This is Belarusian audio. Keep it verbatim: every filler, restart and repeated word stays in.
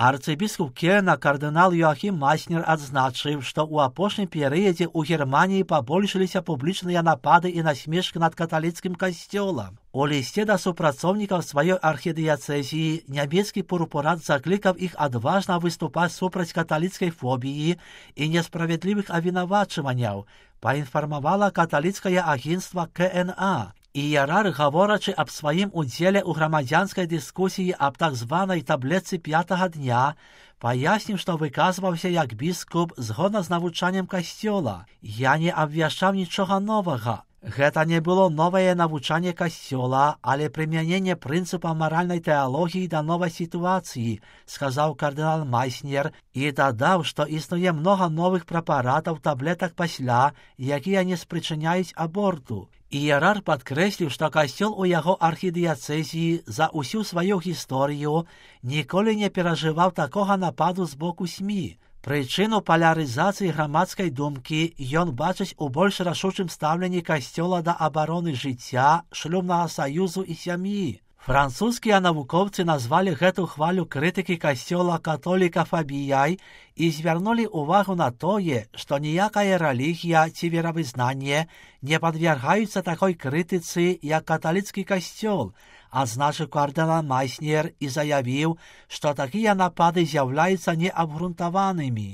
Арцыбіскуп Кельна кардынал Йоахім Майснер адзначыў, што ў апошнім перыядзе ў Германіі пабольшыліся публічныя напады і насмешкі над каталіцкім касцёлам. У лісце да супрацоўнікаў сваёй архідыяцэзіі нямецкі пурпурат заклікаў іх адважна выступаць супраць каталіцкай фобіі і несправядлівых абвінавачванняў, паінфармавала каталіцкае агенцтва Ка Эн А. Іерарх, гаворачы аб сваім удзеле ў грамадзянскай дыскусіі аб так званай таблетцы пятага дня, паясніў, што выказваўся як біскуп згодна з навучаннем касцёла. Я не абвяшчаў нічога новага. Гэта не было новае навучанне касцёла, але прымяненне прынцыпа маральнай тэалогіі да новай сітуацыі, сказаў кардынал Майснер і дадаў, што існуе многа новых прэпаратаў таблетак пасля, якія не спрычыняюць аборту. Іерарх падкрэсліў, што касцёл у яго архідыяцэзіі за ўсю сваю гісторыю ніколі не перажываў такога нападу з боку СМІ. Прычыну палярызацыі грамадскай думкі ён бачыць у больш рашучым стаўленні касцёла да абароны жыцця, шлюбнага саюзу і сям'і. Французскія навукоўцы назвалі гэту хвалю крытыкі касцёла католікафабіяй і звярнулі ўвагу на тое, што ніякая рэлігія ці веравызнанне не падвяргаюцца такой крытыцы, як каталіцкі касцёл, адзначыў кардынал Майснер і заявіў, што такія напады з'яўляюцца неабгрунтаванымі.